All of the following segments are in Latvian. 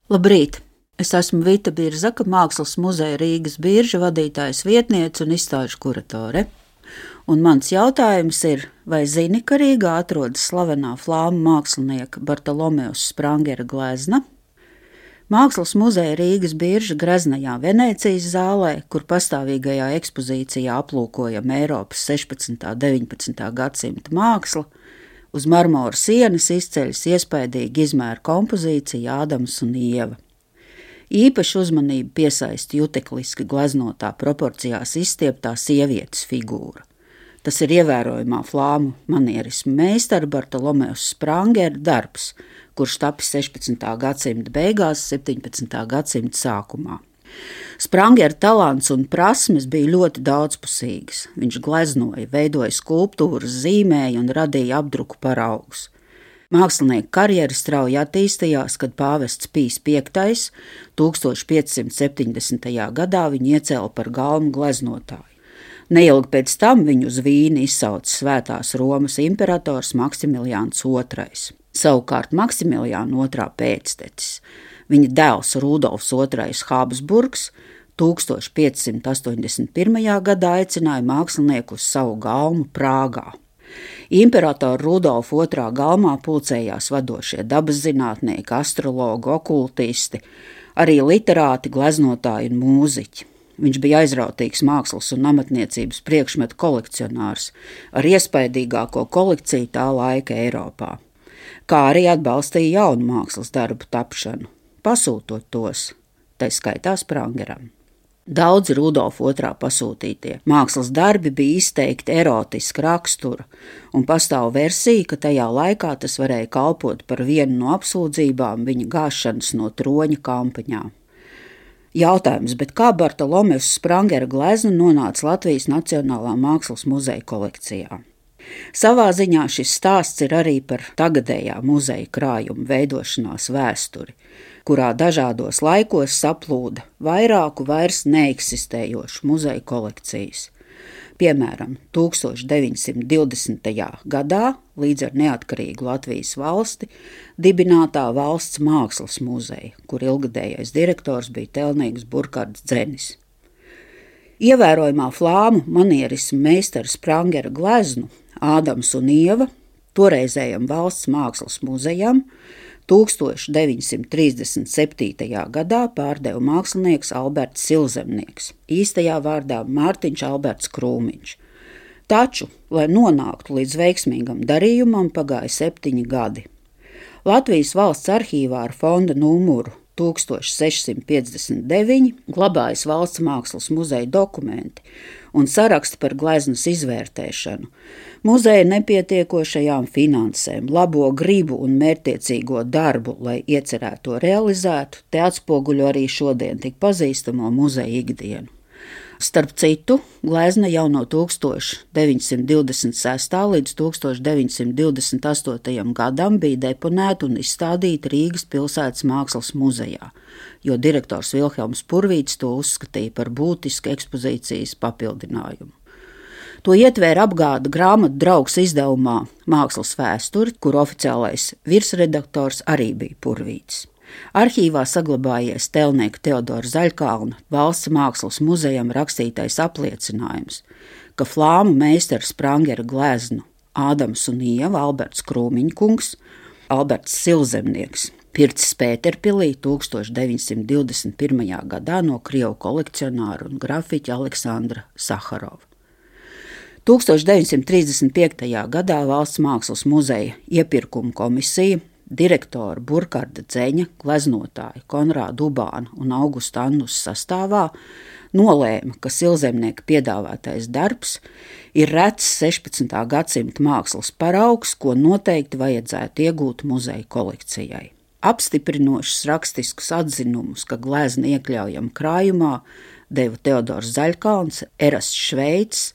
Labrīt! Es esmu Vita Birzaka, Mākslas muzeja Rīgas Birža vadītājas vietniece un izstāžu kuratore. Un mans jautājums ir, vai zini, ka Rīgā atrodas slavenā flāmu mākslinieka Bartolomeus Sprangera glezna? Mākslas muzeja Rīgas Birža greznajā Venēcijas zālē, kur pastāvīgajā ekspozīcijā aplūkojam Eiropas 16. un 19. gadsimta mākslu, uz marmora sienas izceļas iespaidīga izmēra kompozīcija Ādams un Ieva. Īpaši uzmanību piesaista jutekliski gleznotā proporcijās izstieptā sievietes figūra. Tas ir ievērojamā flāmu manierisma meistara Bartolomeus Sprangera darbs, kurš tapis 16. gadsimta beigās, 17. gadsimta sākumā. Sprangera talants un prasmes bija ļoti daudzpusīgas. Viņš gleznoja, veidoja skulptūras, zīmēja un radīja apdruku paraugus. Mākslinieka karjera strauji attīstījās, kad pāvests Pijs V 1570. gadā viņu iecēla par galmu gleznotāju. Neilgi pēc tam viņu uz Vīni izsauca Svētās Romas imperators Maksimiliāns II. Savukārt Maksimiliāna II pēctecis, viņa dēls Rudolfs II Habsburgs 1581. gadā aicināja mākslinieku uz savu galmu Prāgā. Imperatora Rudolfa II galmā pulcējās vadošie dabaszinātnieki, astrologi, okultisti, arī literāti, gleznotāji un mūziķi. Viņš bija aizrautīgs mākslas un amatniecības priekšmetu kolekcionārs ar iespaidīgāko kolekciju tā laika Eiropā, kā arī atbalstīja jaunu mākslas darbu tapšanu, pasūtot tos, tai skaitā Sprangeram. Daudzi Rudolfa II pasūtītie mākslas darbi bija izteikti erotiska rakstura, un pastāv versija, ka tajā laikā tas varēja kalpot par vienu no apsūdzībām viņa gāšanas no troņa kampaņā. Jautājums, bet kā Bartolomeus Sprangera glezna nonāca Latvijas Nacionālā mākslas muzeja kolekcijā? Savā ziņā šis stāsts ir arī par tagadējā muzeja krājuma veidošanās vēsturi, kurā dažādos laikos saplūda vairāku vairs neeksistējošu muzeja kolekcijas. Piemēram, 1920. gadā, līdz ar neatkarīgu Latvijas valsti, dibinātā valsts mākslas muzeja, kur ilgadējais direktors bija Telnīgs Burkards Dzenis. Ievērojamā flāmu manierisma meistara Sprangera gleznu Ādams un Ieva toreizējam valsts mākslas muzejam 1937. gadā pārdeva mākslinieks Alberts Silzemnieks, īstajā vārdā Mārtiņš Alberts Krūmiņš. Taču, lai nonāktu līdz veiksmīgam darījumam, pagāja 7 gadi. Latvijas valsts arhīvā ar fonda numuru 1659 glabājas valsts mākslas muzeja dokumenti un saraksti par gleznas izvērtēšanu, muzeja nepietiekošajām finansēm, labo gribu un mērķtiecīgo darbu, lai iecerēto realizētu, te atspoguļo arī šodien tik pazīstamo muzeja ikdienu. Starp citu, glezna jau no 1926. līdz 1928. gadam bija deponēta un izstādīta Rīgas pilsētas mākslas muzejā, jo direktors Vilhelms Purvīts to uzskatīja par būtisku ekspozīcijas papildinājumu. To ietvēra apgāda grāmatu draugs izdevumā Mākslas vēsturi, kur oficiālais virsredaktors arī bija Purvīts. Arhīvā saglabājies Telnieka Teodora Zaļkalna valsts mākslas muzejam rakstītais apliecinājums, ka flāmu meistara Sprangera gleznu Ādams un Ieva Alberts Krūmiņkungs, Alberts Silzemnieks, pircis Pēterpilī 1921. gadā no krievu kolekcionāra un grafiķa Aleksandra Saharova. 1935. gadā valsts mākslas muzeja iepirkuma komisija direktora Burkarda Dzeņa, gleznotāja Konrāda Ubāna un Augusta Annus sastāvā nolēma, ka Silzemnieka piedāvātais darbs ir rets 16. gadsimta mākslas paraugs, ko noteikti vajadzētu iegūt muzeja kolekcijai. Apstiprinošus rakstiskus atzinumus, ka glezna iekļaujama krājumā, deva Teodors Zaļkalns, Erasts Šveits,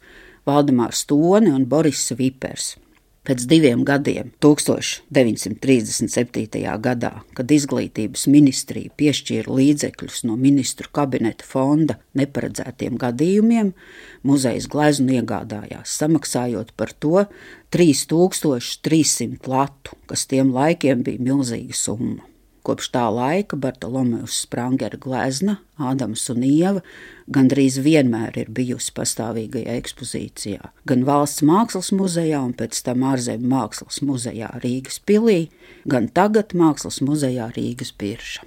Valdemārs Tone un Boris Vipers. Pēc 2 gadiem, 1937. gadā, kad izglītības ministrija piešķīra līdzekļus no ministru kabineta fonda neparedzētiem gadījumiem, muzejs gleznu iegādājās, samaksājot par to 3300 latu, kas tiem laikiem bija milzīga summa. Kopš tā laika Bartolomejus Sprangera glezna, Ādams un Ieva, gandrīz vienmēr ir bijusi pastāvīgajā ekspozīcijā. Gan Valsts mākslas muzejā un pēc tam Ārzemju mākslas muzejā Rīgas pilī, gan tagad Mākslas muzejā Rīgas Birža.